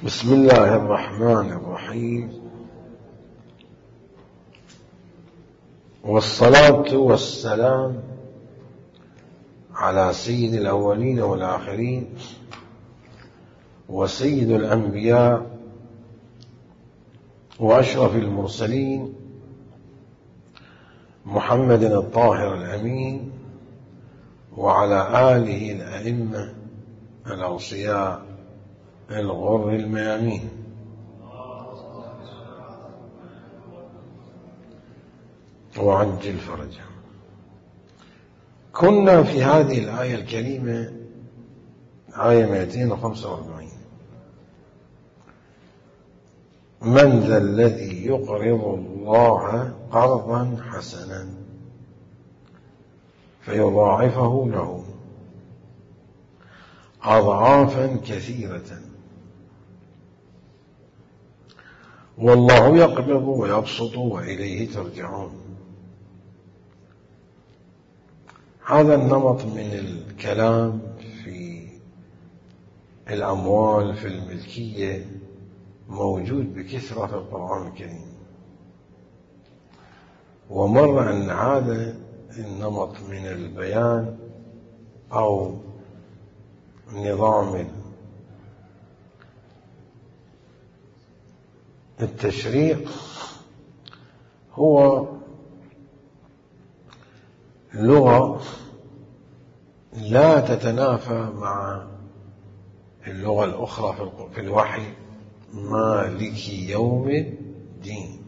بسم الله الرحمن الرحيم، والصلاة والسلام على سيد الأولين والآخرين وسيد الأنبياء وأشرف المرسلين محمد الطاهر الأمين وعلى آله الأئمة الأوصياء الغر الميامين. وعجل فرجهم. كنا في هذه الآية الكريمة آية 245: من ذا الذي يقرض الله قرضا حسنا فيضاعفه له أضعافا كثيرة والله يقبض ويبسط وإليه ترجعون. هذا النمط من الكلام في الأموال في الملكية موجود بكثرة في القرآن الكريم، ومر أن هذا النمط من البيان أو نظام التشريع هو لغة لا تتنافى مع اللغة الأخرى في الوحي: مالك يوم الدين،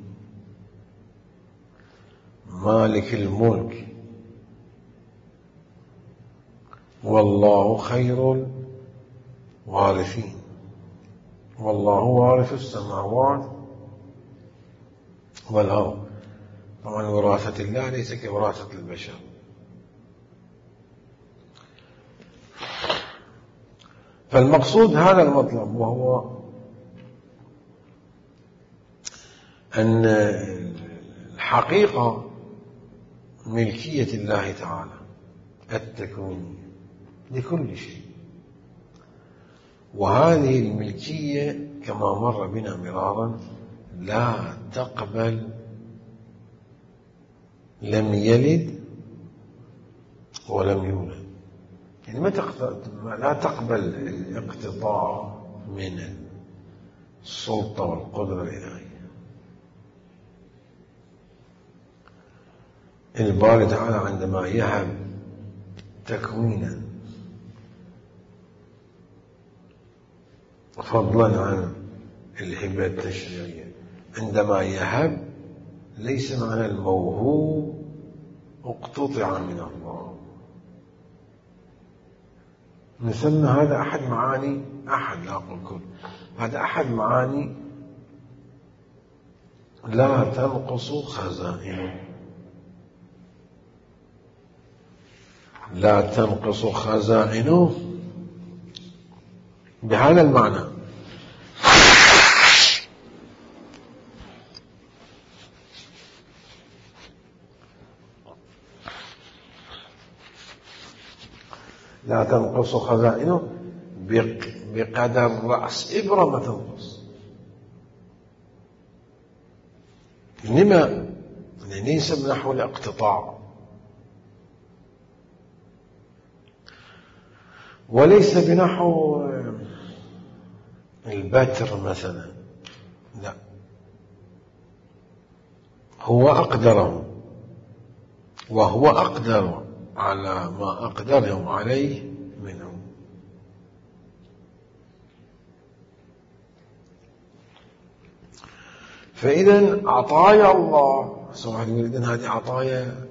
مالك الملك، والله خير الوارثين، والله وارث السماوات والأرض. طبعا وراثة الله ليس كوراثة البشر. فالمقصود هذا المطلب، وهو أن الحقيقة ملكية الله تعالى التكوينية لكل شيء، وهذه الملكية كما مر بنا مرارا لا تقبل لم يلد ولم يولد، يعني لا تقبل الاقتطاع من السلطة والقدرة الإلهية. الباري تعالى عندما يهب تكوينا فضلا عن الهبة التشريعية، عندما يهب ليس معنى الموهوب اقتطع من الله، نسمى هذا أحد معاني، لا أقول كل، هذا أحد معاني لا تنقص خزائنه، لا تنقص خزائنه بهذا المعنى. لا تنقص خزائنه بقدر رأس إبرة ما تنقص. لما؟ ليس بنحو الاقتطاع، وليس بنحو البتر مثلا، لا، هو أقدره، وهو أقدر على ما أقدرهم عليه منهم. فإذا عطايا الله سبحانه يريد هذه عطايا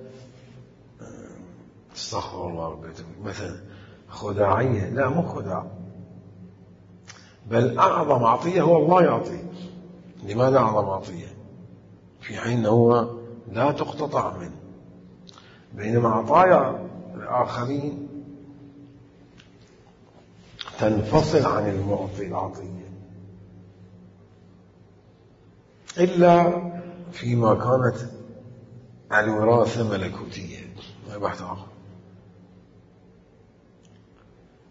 استغفر الله مثلا خداعية، لا مو خداع، بل أعظم عطية هو الله يعطي. لماذا أعظم عطية؟ في حين هو لا تقتطع منه، بينما عطايا الآخرين تنفصل عن المعطي العطية، إلا فيما كانت الوراثة ملكوتية، ما بحث آخر.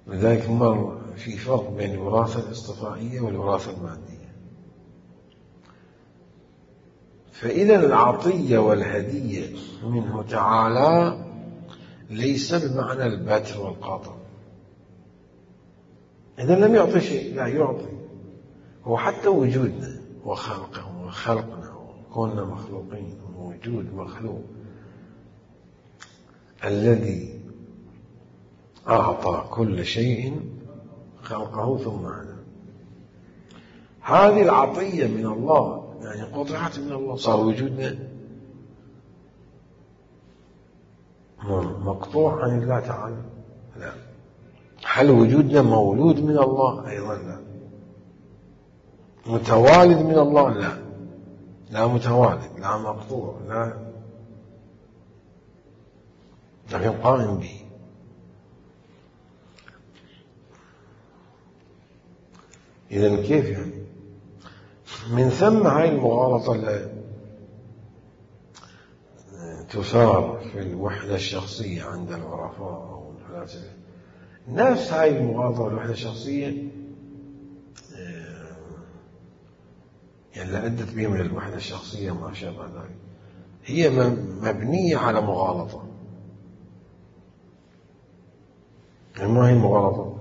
لذلك مر في فرق بين الوراثة الاصطفائية والوراثة المادية. فإذا العطية والهدية منه تعالى ليس بمعنى البتر والقطع. إذا لم يعطي شيء، لا يعطي. هو حتى وجودنا وخلقنا وكوننا مخلوقين، ووجود مخلوق الذي أعطى كل شيء خلقه ثم عنا. هذه العطية من الله، يعني قطعت من الله، صار وجودنا مقطوع عن الله تعالى؟ لا. هل وجودنا مولود من الله؟ أيضا لا. متوالد من الله؟ لا. لا متوالد، لا مقطوع، لا، لكن قائم به. إذن كيف يعني؟ من ثم هاي المغالطة اللي تثار في الوحدة الشخصية عند العرفاء أو الفلاسفة، نفس هاي المغالطة والوحدة الشخصية يعني اللي أدت بهم إلى الوحدة الشخصية ما شابه ذلك، هي مبنية على مغالطة. ما هي المغالطة؟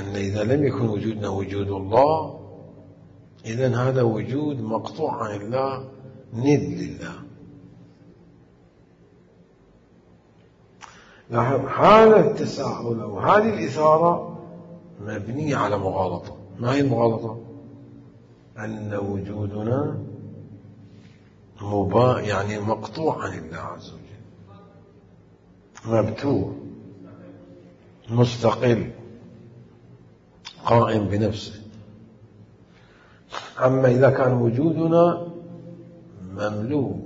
أن إذا لم يكن وجودنا وجود الله، إذن هذا وجود مقطوع عن الله، ند لله. هذا التساؤل أو هذه الإثارة مبنية على مغالطة. ما هي المغالطة؟ أن وجودنا يعني مقطوع عن الله عز وجل، مبتور، مستقل، قائم بنفسه. أما إذا كان وجودنا مملوء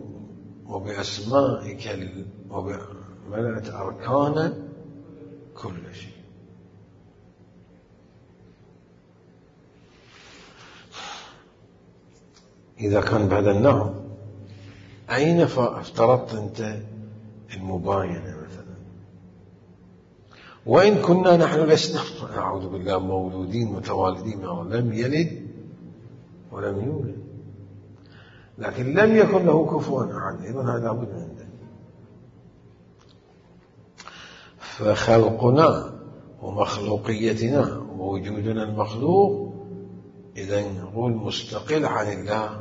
وبأسمائك وبملأت أركان كل شيء. إذا كان بهذا النوع، أين افترضت أنت المباينة مثلا؟ وإن كنا نحن لسنا أعوذ بالله مولودين متوالدين، لم يلد ولم يولد، لكن لم يكن له كفوا أحد، إذن هذا لابد من عنده. فخلقنا ومخلوقيتنا ووجودنا المخلوق إذن نقول مستقل عن الله،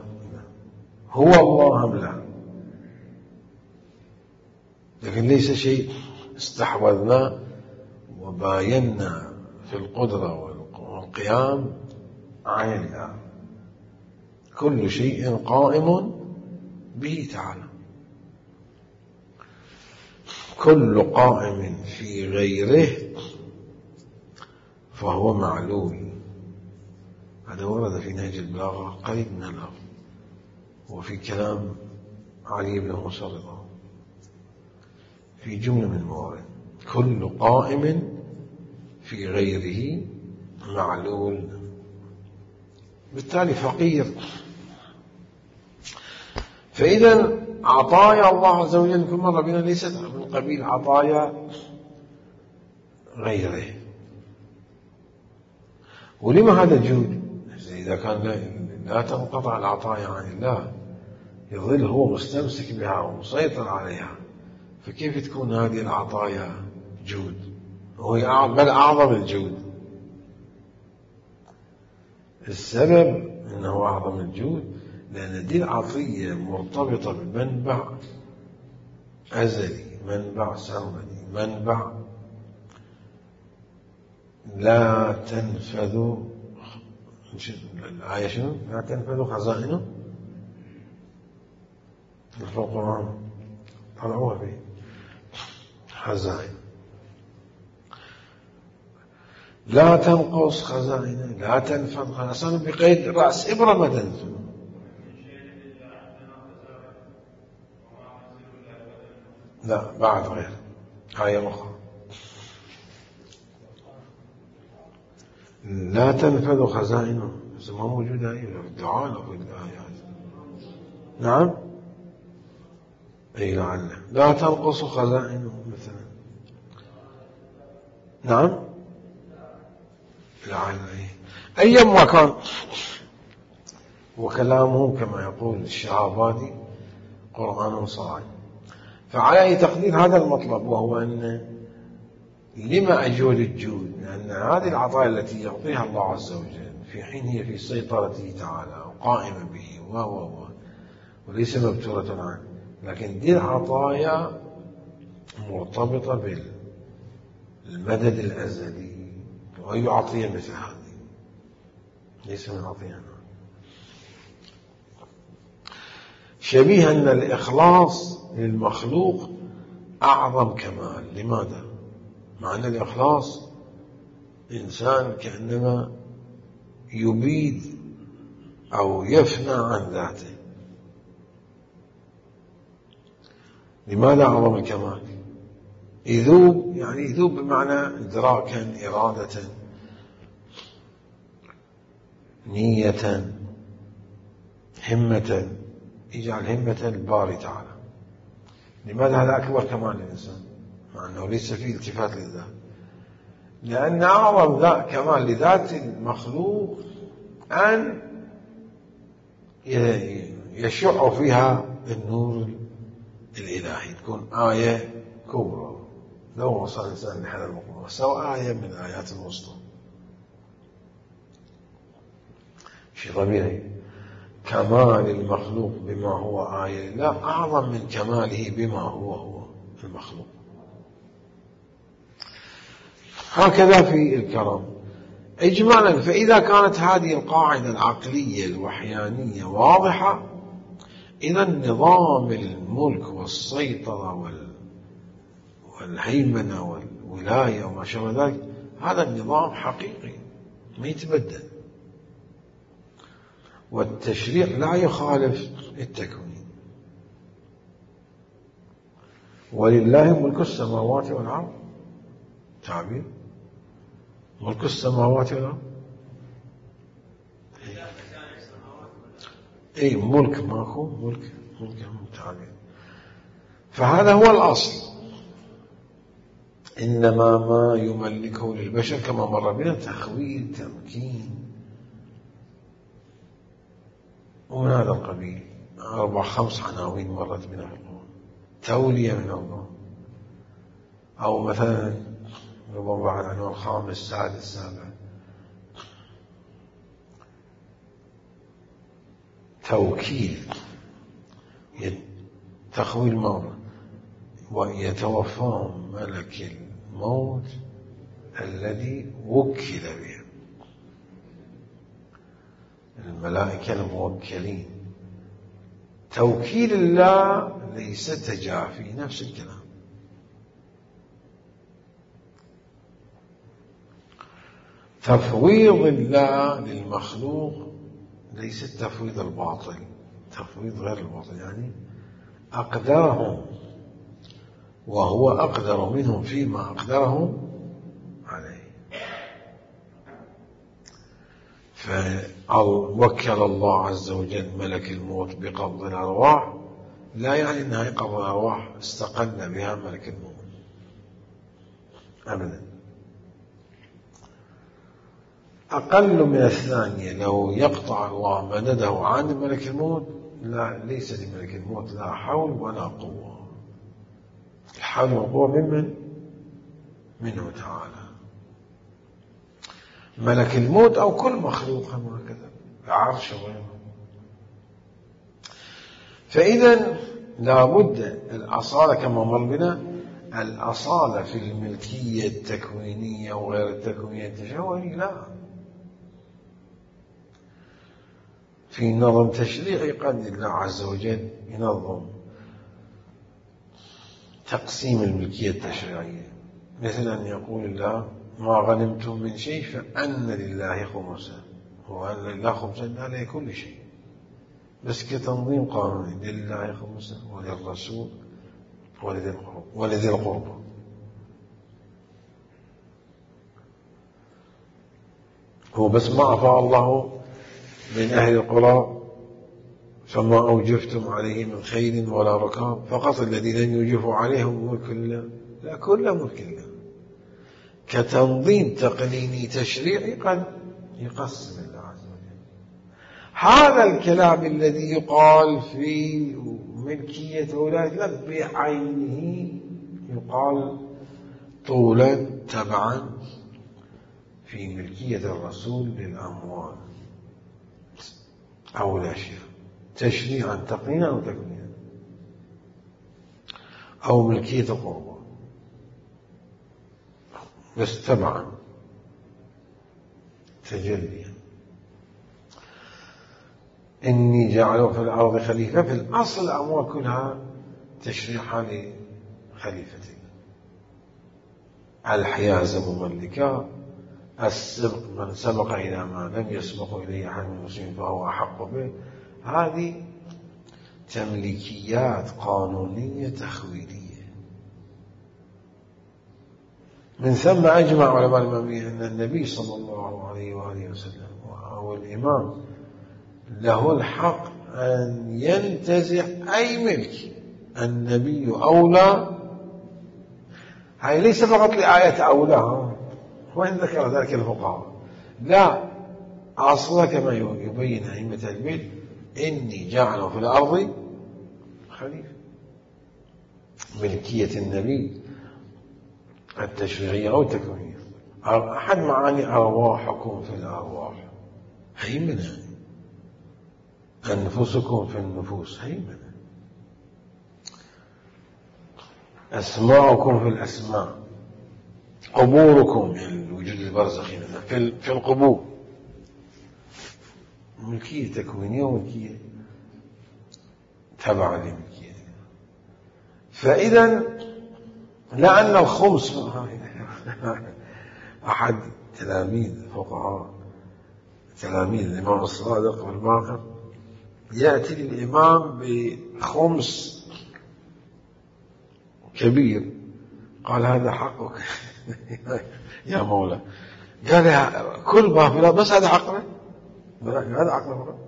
هو الله أم لا؟ لكن ليس شيء استحوذنا وباينا في القدرة والقيام عن الله. كل شيء قائم به تعالى. كل قائم في غيره فهو معلول. هذا ورد في نهج البلاغة قريب من اللفظ، وفي كلام علي بن موسى رضا في جملة من الموارد. كل قائم في غيره معلول، بالتالي فقير. فإذا عطايا الله عز وجل كل مرة بنا ليست من قبيل عطايا غيره. ولما هذا الجود؟ إذا كان لا تنقطع العطايا عن الله، يظل هو مستمسك بها ومسيطر عليها، فكيف تكون هذه العطايا جود؟ هو بل أعظم الجود. السبب أنه أعظم الجود لأن دي العطية مرتبطة بمنبع أزلي، منبع سرمدي، منبع لا تنفذ. الآية شنو؟ لا تنفذ خزائنه في القرآن، طلعوها به خزائن. لا تنقص خزائنه، لا تنفذ خزائنه، بقيد رأس إبرة ما تنفذ. لا بعد غير آية أخرى لا تنفذ خزائنه، بس ما موجودة هي في الدعاء أو في الآيات. نعم أي لعله لا تنقص خزائنه مثلا. نعم أيما كان وكلامه كما يقول الشهابادي قرآن صاعد. فعلى أي تقدير هذا المطلب، وهو أن لما أجود الجود؟ لأن هذه العطايا التي يعطيها الله عز وجل في حين هي في سيطرته تعالى وقائمة به وليس مبتورة عنه، لكن دي العطايا مرتبطة بالمدد الأزلي، وأي عطية مثل هذه ليس من عطية. شبيه أن الإخلاص للمخلوق أعظم كمال. لماذا؟ مع أن الإخلاص إنسان كأنما يبيد أو يفنى عن ذاته. لماذا أعظم الكمال؟ يذوب، يعني يذوب بمعنى إدراكا، إرادة، نية، همة، يجعل همة الباري تعالى. لماذا هذا أكبر كمال للإنسان مع أنه ليس فيه التفات للذات؟ لأن أعظم كمال لذات المخلوق أن يشع فيها النور الإلهي، تكون آية كبرى. لو وصل الإنسان لهذا المقام سواء آية من آيات الوسطى، شيء طبيعي. كمال المخلوق بما هو آية لا أعظم من كماله بما هو المخلوق. هكذا في الكرم إجمالا. فإذا كانت هذه القاعدة العقلية الوحيانية واضحة، إذا نظام الملك والسيطرة والهيمنة والولاية وما شابه ذلك هذا النظام حقيقي ما يتبدل، والتشريع لا يخالف التكوين. ولله ملك السماوات والأرض، تعبير ملك السماوات والأرض، أي ملك ماكو ملك تعبير. فهذا هو الأصل. إنما ما يملكه للبشر كما مر بنا تخويل، تمكين، ومن هذا القبيل 4-5 عناوين مرت بنا في القرآن. تولية من الله، أو مثلا ربما بعد عنوان 5 6 7 توكيل، تخويل مرة، ويتوفى ملك الموت الذي وكل به، الملائكة الموكلين. توكيل الله ليس تجافي، نفس الكلام. تفويض الله للمخلوق ليس التفويض الباطل، تفويض غير الباطل، يعني أقدرهم وهو أقدر منهم فيما أقدرهم عليه. فوكل الله عز وجل ملك الموت بقبض الأرواح، لا يعني أنها قبض الأرواح استقل بها ملك الموت أبدا. أقل من الثانية لو يقطع الله مدده عن ملك الموت، لا، ليس لملك الموت لا حول ولا قوة. الحول والقوة منه تعالى. ملك الموت أو كل مخلوق هكذا بعرش وغيره. فإذا لابد الأصالة كما مر بنا، الأصالة في الملكية التكوينية وغير التكوينية التشريعية لا. في نظم تشريعي قد الله عز وجل ينظم تقسيم الملكية التشريعية، مثل أن يقول الله ما غنمتم من شيء فأن لله خمسه، وأن لله خمسه على كل شيء، بس كتنظيم قانوني لله خمسه وللرسول ولذي القربى. هو بس ما أفاء الله من أهل القرى فما أوجفتم عليه من خيل ولا ركاب، فقط الذين لم يوجفوا عليهم ملك الله، لا كل ملك الله. كتنظيم تقنيني تشريعي قد يقسم الله عز وجل. هذا الكلام الذي يقال في ملكية ولاية الأرض بعينه يقال طولا تبعا في ملكية الرسول للأموال أو الأشياء، تشريعا تقنينا أو تكوينا، أو ملكية القربان، بس تبعا تجليا. إني جعله في الأرض خليفة، في الأصل الأموال كلها تشريعها لخليفتين: الحيازة مملكة، السبق من سبق إلى ما لم يسبق إليه أحد من المسلمين فهو أحق به. هذه تمليكيات قانونية تخويلية. من ثم أجمع علماء الإمامية أن النبي صلى الله عليه وآله وسلم أو الإمام له الحق أن ينتزع أي ملك. النبي أولى، هاي ليس فقط لآية أولى وإن ذكر ذلك الفقهاء، لا، أصلا كما يبين أئمة العلم: إني جعله في الأرض خليفة. ملكية النبي التشريعية أو التكوينية. أحد معاني أرواحكم في الأرواح، هيمنة. أنفسكم في النفوس، هيمنة. أسماءكم في الأسماء، قبوركم يعني الوجود البرزخي في القبور، ملكية تكوينية وملكية تبع لملكية. فإذا لأن الخمس أحد تلاميذ الفقهاء تلاميذ الإمام الصادق والباقر يأتي للإمام بخمس كبير، قال: هذا حقك يا مولا. قال: كل ما في بس هذا حقنا، هذا حقنا فقط.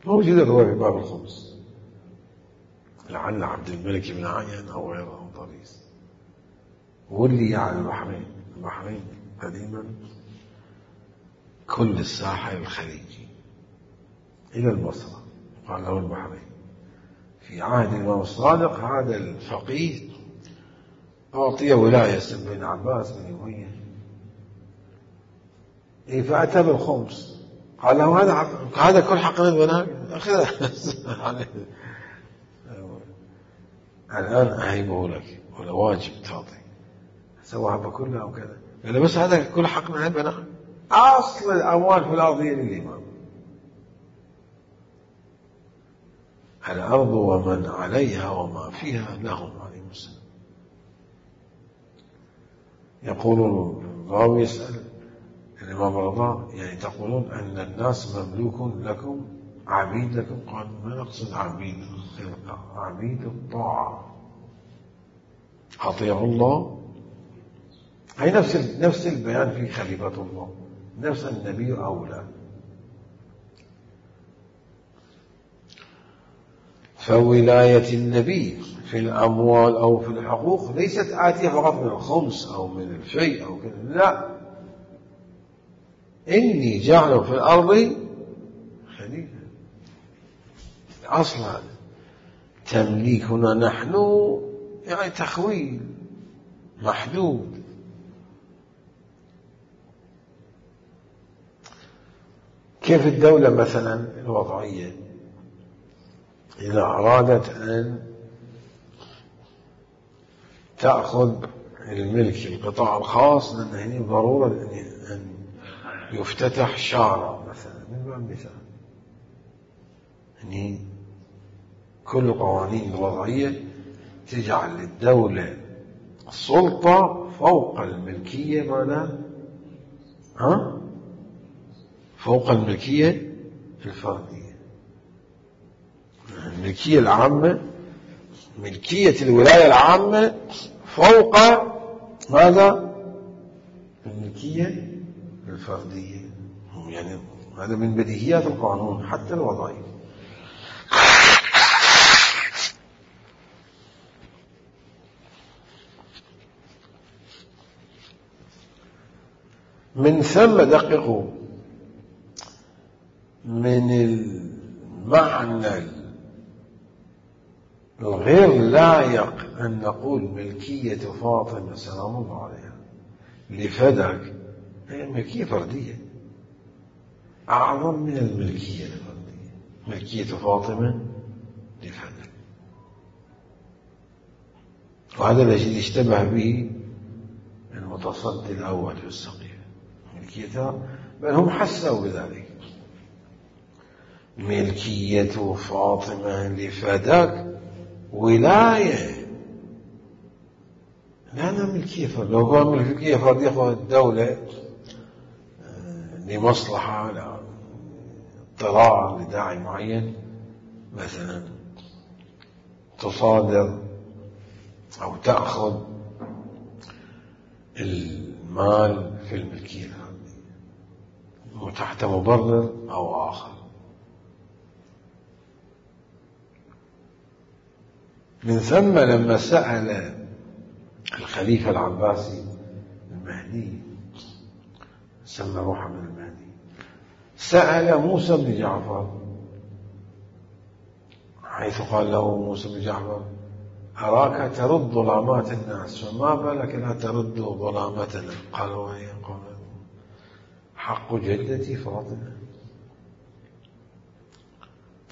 موجود الرواية في باب الخمس، لعل عبد الملك بن عيان أو غيره طريس ولي على البحرين قديما كل الساحل الخليجي إلى البصرة، قال له البحرين. في عهد الإمام الصادق هذا الفقيه أعطي ولاية بن عباس بن أمية، فأتى بالخمس، قال له: هذا كل حق من البنات، أخذ الآن أهيبه لك ولا واجب تعطي، سواها بكلها أو كذا. قال: بس هذا كل حق من البنات. أصل الأموال في الأرض هي للإمام. الأرض ومن عليها وما فيها لهم عليه السلام. يقول الراوي يسأل الإمام الرضا: يعني تقولون أن الناس مملوك لكم، عبيد لكم؟ قال: ما نقصد عبيد الخلقة، عبيد الطاعة، أطيعوا الله. هي نفس البيان في خليفة الله، نفس النبي أولى. فولاية النبي في الأموال أو في الحقوق ليست آتية فقط من الخمس أو من الفيء أو كذا، لا، إني جعله في الأرض خليفة. أصلا تمليكنا نحن يعني تخويل محدود. كيف الدولة مثلا الوضعية إذا أرادت أن تأخذ الملك القطاع الخاص، لأن هنا ضرورة أن يفتتح شارع مثلا من باب المثال، يعني كل القوانين الوضعية تجعل للدولة السلطة فوق الملكية، معناها فوق الملكية الفردية. الملكية العامة، ملكية الولاية العامة فوق ماذا؟ الملكية الفردية. يعني هذا من بديهيات القانون حتى الوضعي. من ثم دققوا من المعنى الغير لائق أن نقول ملكية فاطمة سلام الله عليها لفدك، هي ملكية فردية أعظم من الملكية الفردية. ملكية فاطمة لفدك، وهذا الذي اشتبه به المتصدي الأول في السقيفة ملكيتها، بل هم حسوا بذلك. ملكية فاطمة لفدك ولاية، لأنها ملكية فردية. لو قال ملكية فردية يأخذ الدولة لمصلحة، لا اضطرار لداعي معين، مثلا تصادر أو تأخذ المال في الملكية الفردية تحت مبرر أو آخر. من ثم لما سأل الخليفة العباسي المهدي، سمى محمد المهدي، سأل موسى بن جعفر، حيث قال له موسى بن جعفر: أراك ترد ظلامات الناس، فما بالك لا ترد ظلامتنا؟ قال: وهي حق جدتي فاطمة.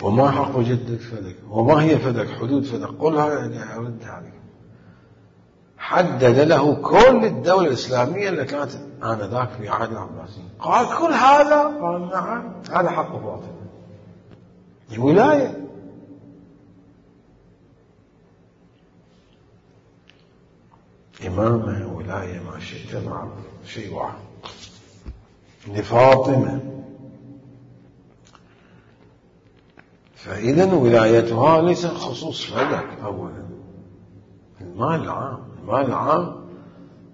وما حق جدك فدك؟ وما هي فدك؟ حدود فدك قلها يعني أرد عليك. حدد له كل الدولة الإسلامية اللي كانت آنذاك في عهد العباسيين. قال: كل هذا؟ قال: نعم، هذا حق فاطمة. الولاية. إمامة ولاية ما شئت مع شيء واحد لفاطمة. فإذا ولايتها ليس خصوص فدك أولا، المال العام. المال العام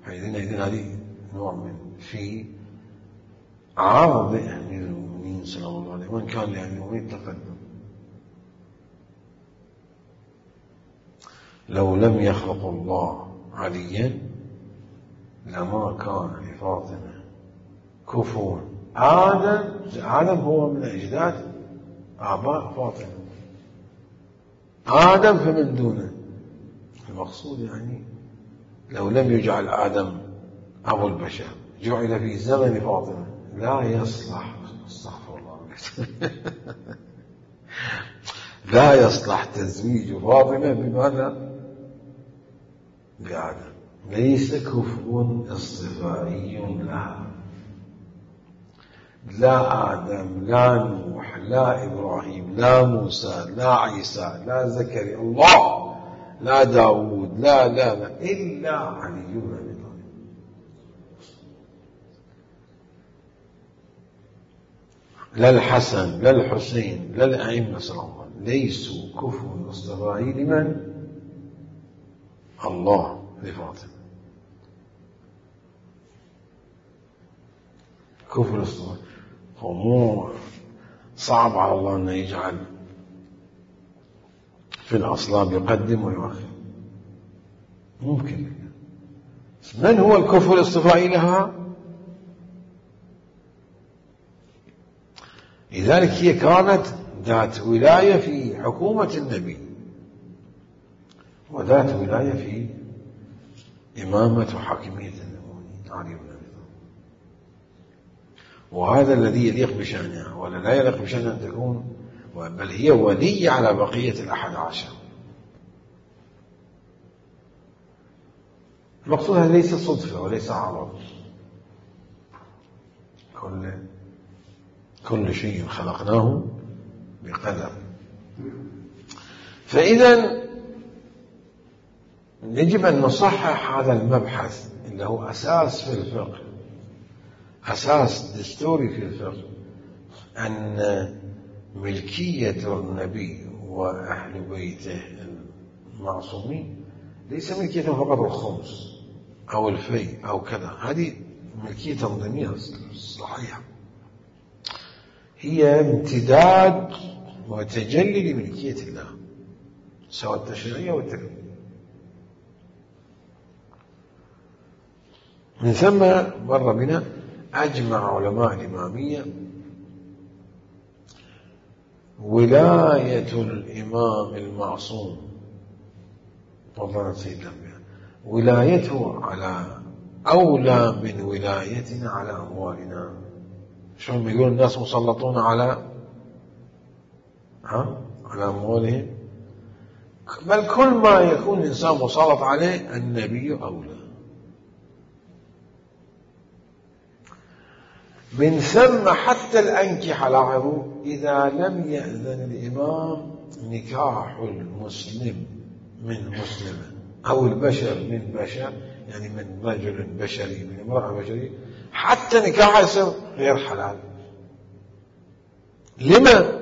فإذن هذه نوع من في عرض أمير المؤمنين سلام الله عليه، وإن كان لأمير المؤمنين تقدم. لو لم يخلق الله عليا لما كان لفاطمة كفوا. آدم هو من أجداد آباء فاطمة، آدم فمن دونه. المقصود يعني لو لم يجعل آدم أبو البشر، جعل في زمن فاطمة، لا يصلح، استغفر الله لا يصلح تزويج فاطمة بماذا؟ بآدم. ليس كفو اصطفائي لها، لا آدم لا نوح لا إبراهيم لا موسى لا عيسى لا زكريا الله لا داود لا إلا علي بن أبي طالب. لا الحسن لا الحسين لا الأئمة صلى الله عليه وسلم ليسوا كفوا اصطفائي لمن؟ الله لفاطمة. كفر الاصطفاء فمو صعب على الله أن يجعل في الأصلاب يقدم ويؤخر، ممكن. من هو الكفر الاصطفائي لها؟ لذلك هي كانت ذات ولاية في حكومة النبي، وذات ولاية في إمامة وحاكمية المؤمنين علي بن أبي طالب. وهذا الذي يليق بشأنها، ولا لا يليق بشأنها أن تكون، بل هي ولي على بقية ال11. المقصود هذا ليس صدفة وليس عرض، كل شيء خلقناه بقدر. فإذا يجب أن نصحح هذا المبحث اللي هو أساس في الفقه، أساس دستوري في الفقه، أن ملكية النبي وأهل بيته المعصومين ليس ملكية فقط الخمس أو الفي أو كذا، هذه ملكية تنظيمية صحيحة، هي امتداد وتجلي لملكية الله سواء التشريعية والتكوينية. من ثم مر بنا أجمع علماء الإمامية ولاية الإمام المعصوم فضلا سيد الأنبياء ولايته على أولى من ولايتنا على أموالنا. شلون يقول الناس مسلطون على أموالهم، بل كل ما يكون الإنسان مسلط عليه النبي أولى. من ثم حتى الأنكحة، لاحظوا، إذا لم يأذن الإمام نكاح المسلم من مسلمة أو البشر من بشر، يعني من رجل بشري من امرأة بشرية، حتى نكاحها يصير غير حلال. لما؟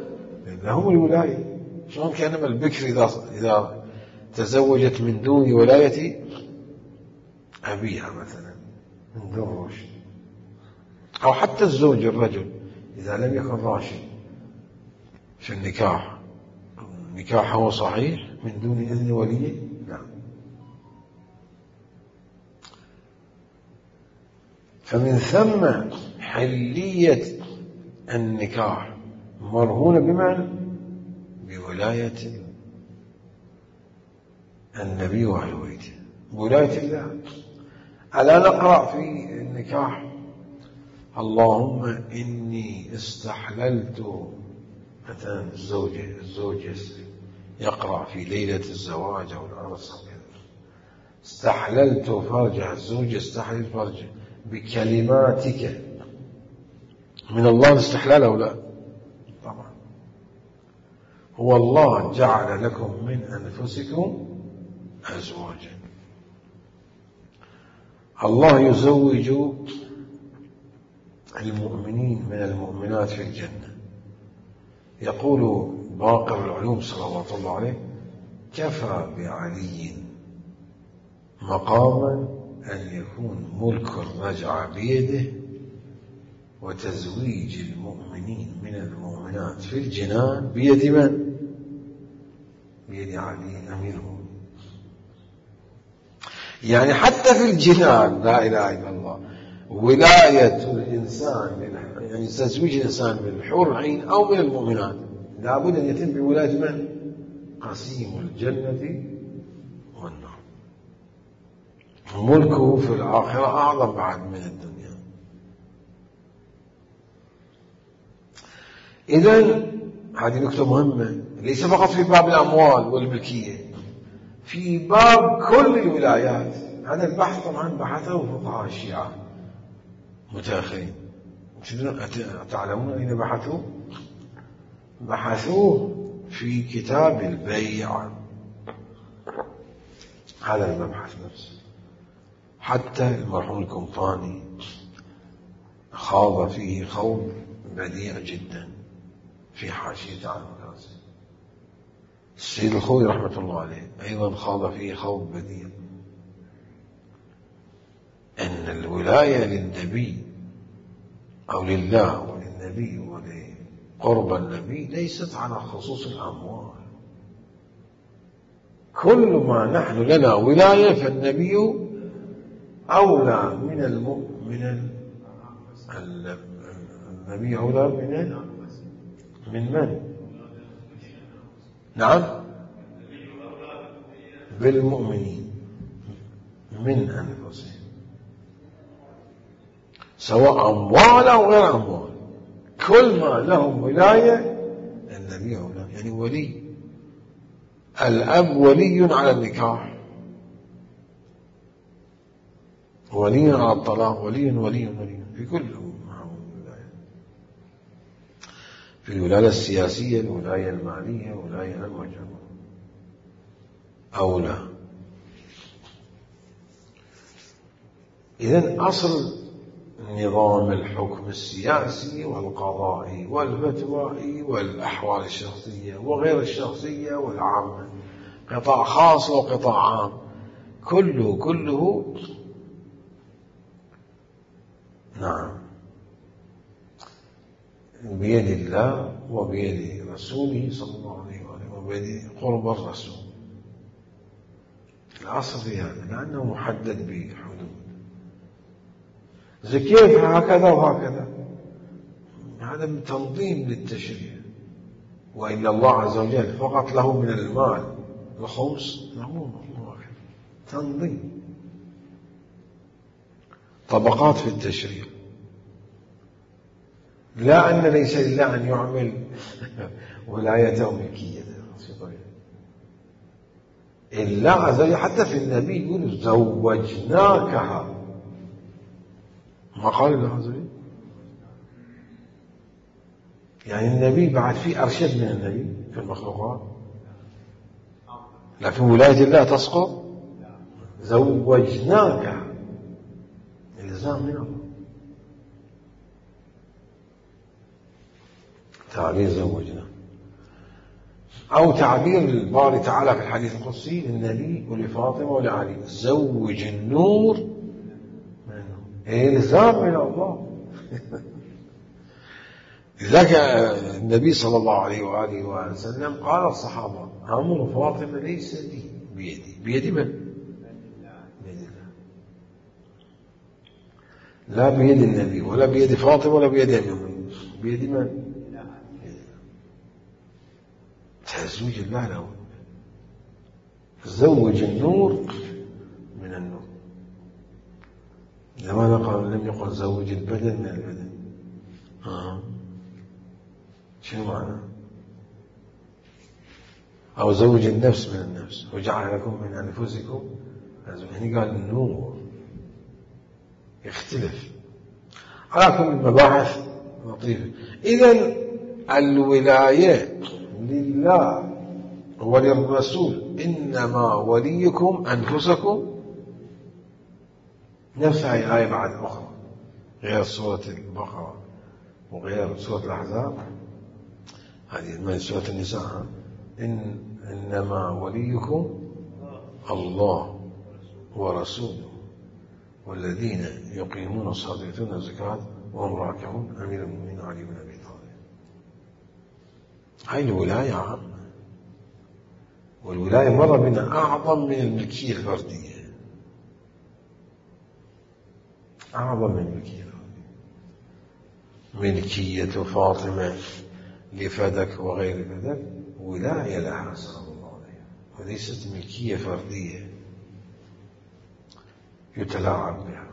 لهم الولاية. شلون كأنما البكر إذا تزوجت من دون ولاية أبيها مثلا من دون رشد، أو حتى الزوج الرجل إذا لم يكن راشد في النكاح، نكاحه صحيح من دون إذن وليه؟ نعم. فمن ثم حلية النكاح مرهونة بمعنى بولاية النبي وأهل بيته، بولاية الله. ألا نقرأ في النكاح اللهم إني استحللت، مثلا الزوج يقرأ في ليلة الزواج أو العرس استحللت فرجه، الزوج يستحلل فرجه بكلماتك. من الله الاستحلال أو لا؟ طبعا. هو الله جعل لكم من أنفسكم أزواجا. الله يزوج المؤمنين من المؤمنات في الجنة. يقول باقر العلوم صلوات الله عليه: كفى بعلي مقاما أن يكون ملك الرجعة بيده، وتزويج المؤمنين من المؤمنات في الجنان بيد من؟ بيد علي أمير المؤمنين. يعني حتى في الجنان لا إله إلا الله ولاية الإنسان، يعني تزويج الإنسان بالحور العين أو من المؤمنات لابد أن يتم بولاية من؟ قسيم الجنة والنار. ملكه في الآخرة أعظم بعد من الدنيا. إذن هذه نكتة مهمة، ليس فقط في باب الأموال والملكية، في باب كل الولايات. هذا البحث طبعا بحثه فقهاء الشيعة متأخرين. تعلمون أين بحثوا؟ بحثوه في كتاب البيع، هذا المبحث نفسه. حتى المرحوم القمطاني خاض فيه خوض بديع جدا في حاشية عن الغازي. السيد الخوي رحمة الله عليه أيضا خاض فيه خوض بديع، أن الولاية للنبي أو لله وللنبي ولقرب النبي ليست على خصوص الأموال. كل ما نحن لنا ولاية فالنبي أولى من النبي أولى من من؟ نعم، بالمؤمنين من أنفسهم، سواء أموال أو غير أموال. كل ما لهم ولاية النبي أولى. يعني ولي الأب ولي على النكاح، ولي على الطلاق، ولي في كل ولاية. في الولاية السياسية، الولاية المالية، الولاية المجموعة أولى. إذن أصل نظام الحكم السياسي والقضائي والفتوائي والأحوال الشخصية وغير الشخصية والعامة، قطاع خاص وقطاع عام، كله نعم بيد الله وبيد رسوله صلى الله عليه وسلم وبيد قرب الرسول. الأصل في هذا لأنه محدد بحدود. زي كيف هكذا وهكذا؟ هذا من تنظيم للتشريع. وإلا الله عز وجل فقط له من المال الخمس، تنظيم، طبقات في التشريع. لا أن ليس لله أن يعمل ولايته ملكية، الله عز وجل حتى في النبي يقول زوجناكها، ما قال الله عز وجل؟ يعني النبي بعد فيه أرشد من النبي في المخلوقات، لكن ولاية الله تسقط. زوجناكها إلزام من الله، تعبير زوجنا، أو تعبير الباري تعالى في الحديث القدسي للنبي ولفاطمة ولعلي: زوج النور من النور، إلزام من الله. لذلك النبي صلى الله عليه وآله وسلم قال الصحابة: أمر فاطمة ليس لي بيدي. بيد من؟ بيد الله. لا بيد النبي ولا بيد فاطمة ولا بيد أمين، بيد من؟ تزويج الله له. زوج النور من النور. لماذا لم يقل زوج البدن من البدن؟ شنو معنى؟ أو زوج النفس من النفس، وجعل لكم من أنفسكم أزواجا. هنا قال النور، يختلف. على كل المباحث لطيفة. إذن الولاية لله وللرسول، إنما وليكم أنفسكم. نفسها الآية بعد أخرى غير سورة البقرة وغير سورة الأحزاب، هذه من سورة النساء: إنما وليكم الله ورسوله والذين يقيمون الصلاة ويؤتون الزكاة وهم راكعون أمير المؤمنين علي بن أبي طالب. هاي الولاية عامة، والولاية مرة بنا أعظم من الملكية الفردية، أعظم من الملكية الفردية. ملكية فاطمة لفدك وغير فدك ولاية لها صلى الله عليه، وليست ملكية فردية يتلاعب بها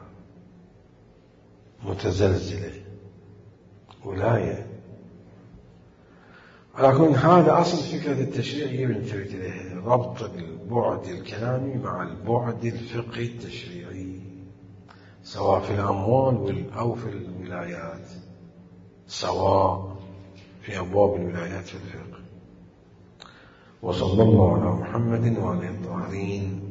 متزلزلة، ولاية. ولكن هذا أصل فكرة التشريع ينتبه إليه: ربط البعد الكلامي مع البعد الفقهي التشريعي، سواء في الأموال أو في الولايات، سواء في أبواب الولايات في الفقه. وصلى الله على محمد وعلى الطاهرين.